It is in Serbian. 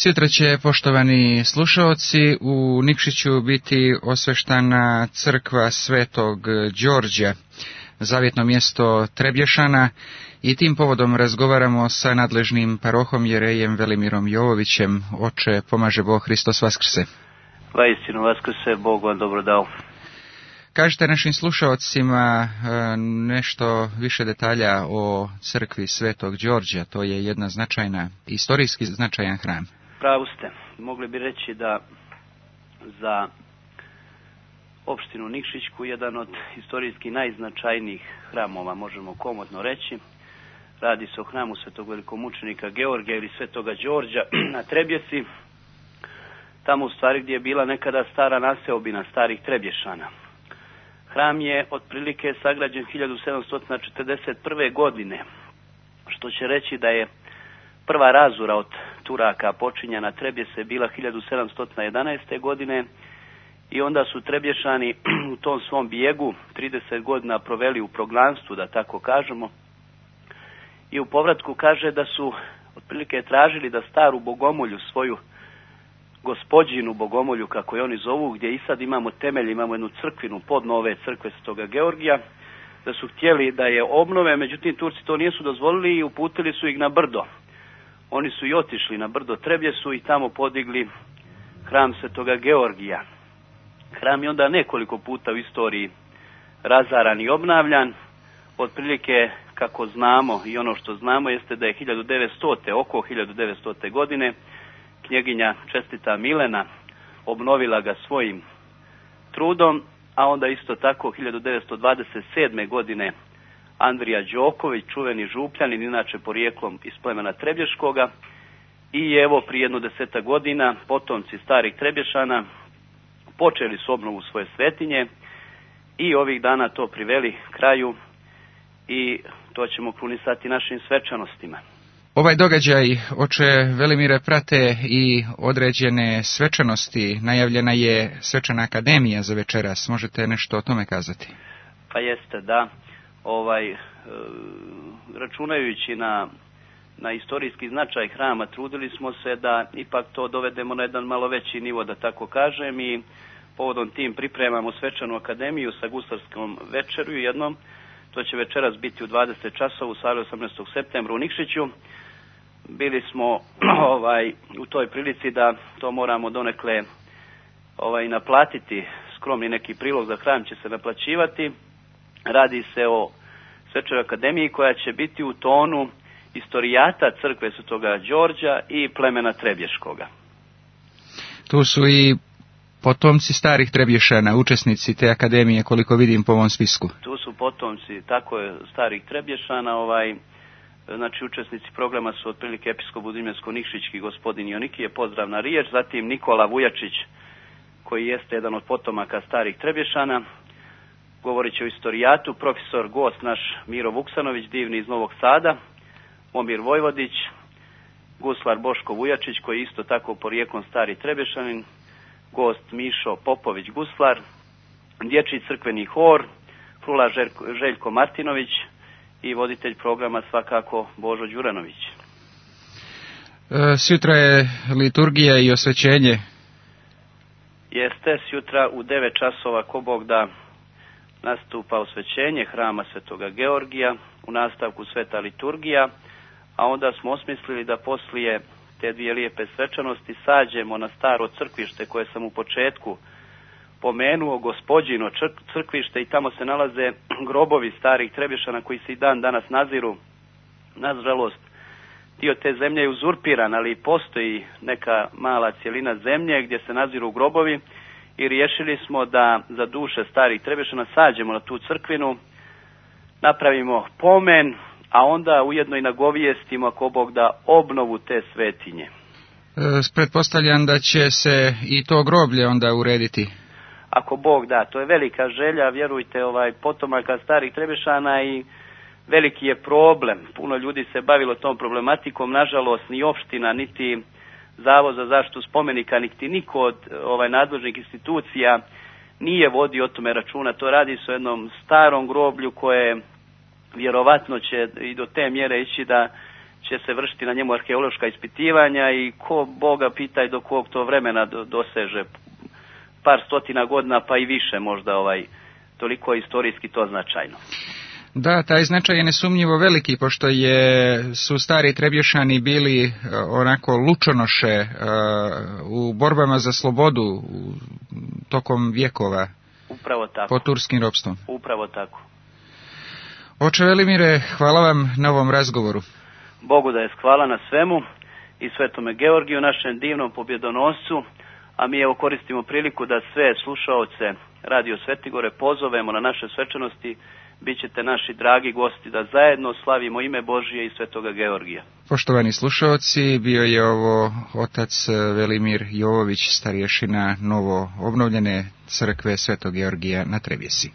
Sutra će, poštovani slušaoci, u Nikšiću biti osveštana crkva Svetog Đorđa, zavjetno mjesto Trebješana, i tim povodom razgovaramo sa nadležnim parohom jerejem Velimirom Jovovićem. Oče, pomaže Bog, Hristos vaskrse. Vaistinu vaskrse, Bog vam dobro dao. Kažite našim slušaocima nešto više detalja o crkvi Svetog Đorđa. To je jedna značajna, istorijski značajan hram. Pravu ste. Mogli bi reći da za opštinu Nikšićku jedan od istorijski najznačajnijih hramova, možemo komotno reći. Radi se o hramu svetog velikomučenika Georgija ili Svetoga Đorđa na Trebjesi, tamo u stvari gdje je bila nekada stara naseobina starih Trebješana. Hram je otprilike sagrađen 1741. godine, što će reći da je prva razura od Turaka počinja na Trebjese bila 1711. godine i onda su Trebješani u tom svom bijegu 30 godina proveli u proglanstvu, da tako kažemo, i u povratku kaže da su otprilike tražili da staru bogomolju, svoju Gospodžinu bogomolju, kako je oni zovu, gdje i sad imamo temelj, imamo jednu crkvinu pod nove crkve Svetoga Georgija, da su htjeli da je obnove, međutim Turci to nisu dozvolili i uputili su ih na brdo. Oni su i otišli na brdo Trebjesu i tamo podigli hram Svetoga Georgija. Hram je onda nekoliko puta u istoriji razaran i obnavljan. Otprilike, kako znamo i ono što znamo, jeste da je oko 1900. godine knjeginja čestita Milena obnovila ga svojim trudom, a onda isto tako 1927. godine Andrija Đoković, čuveni župljanin, inače porijeklom iz plemena Trebješkoga, i evo prije jedno 10 godina potomci starih Trebješana počeli su obnovu svoje svetinje i ovih dana to priveli kraju i to ćemo krunisati našim svečanostima. Ovaj događaj, oče Velimire, prate i određene svečanosti. Najavljena je svečana akademija za večeras. Možete nešto o tome kazati? Pa jeste, da. Računajući na istorijski značaj hrama, trudili smo se da ipak to dovedemo na jedan malo veći nivo, da tako kažem, i povodom tim pripremamo svečanu akademiju sa gustarskom večeru jednom. To će večeras biti u 20 časova u sali 18. septembra u Nikšiću. Bili smo u toj prilici da to moramo donekle naplatiti, skromni neki prilog za hram će se naplaćivati. Radi se o svečanoj akademiji koja će biti u tonu istorijata crkve Svetoga Đorđa i plemena Trebješkoga. Tu su i potomci starih Trebješana, učesnici te akademije, koliko vidim po ovom spisku. Tu su potomci, tako je, starih Trebješana, znači učesnici programa su otprilike episkop Budimljansko-Nikšićki gospodin Jonikije, pozdravna riječ, zatim Nikola Vujačić, koji jeste jedan od potomaka starih Trebješana, govorit će o istorijatu, profesor gost naš Miro Vuksanović, divni iz Novog Sada, Omir Vojvodić, guslar Boško Vujačić, koji je isto tako porijeklom stari Trebješanin, gost Mišo Popović, guslar, dječji crkveni hor, frula Željko Martinović i voditelj programa svakako Božo Đuranović. Sutra je liturgija i osvećenje. Jeste, sutra u 9 časova, ko Bog da, nastupa osvećenje hrama Svetoga Georgija, u nastavku sveta liturgija, a onda smo osmislili da poslije te dvije lijepe svečanosti sađemo na staro crkvište koje sam u početku pomenuo, Gospodžino crkvište, i tamo se nalaze grobovi starih Trebješana koji se i dan danas naziru. Nažalost, dio te zemlje je uzurpiran, ali postoji neka mala cjelina zemlje gdje se naziru grobovi i riješili smo da za duše starih Trebješana sađemo na tu crkvinu, napravimo pomen, a onda ujedno i nagovijestimo, ako Bog da, obnovu te svetinje. Pretpostavljam da će se i to groblje onda urediti. Ako Bog da, to je velika želja, vjerujte, potomaka starih Trebješana, i veliki je problem. Puno ljudi se bavilo tom problematikom, nažalost ni opština, niti Zavod za zaštitu spomenika, niti niko od nadležnih institucija nije vodio o tome računa. To radi se o jednom starom groblju koje vjerovatno će i do te mjere ići da će se vršiti na njemu arheološka ispitivanja i ko Boga pitaj do kog to vremena doseže, par stotina godina pa i više možda, toliko je istorijski to značajno. Da, taj značaj je nesumnjivo veliki, pošto su stari Trebješani bili onako lučonoše u borbama za slobodu tokom vjekova. Upravo tako. Pod turskim ropstvom. Upravo tako. Oče Velimire, hvala vam na ovom razgovoru. Bogu da je hvala na svemu i Svetome Georgiju, našem divnom pobjedonoscu, a mi evo koristimo priliku da sve slušaoce Radio Svetigore pozovemo na naše svečanosti. Bićete naši dragi gosti da zajedno slavimo ime Božije i Svetoga Georgija. Poštovani slušaoci, bio je ovo otac Velimir Jovović, starješina novo obnovljene crkve Svetog Georgija na Trebjesi.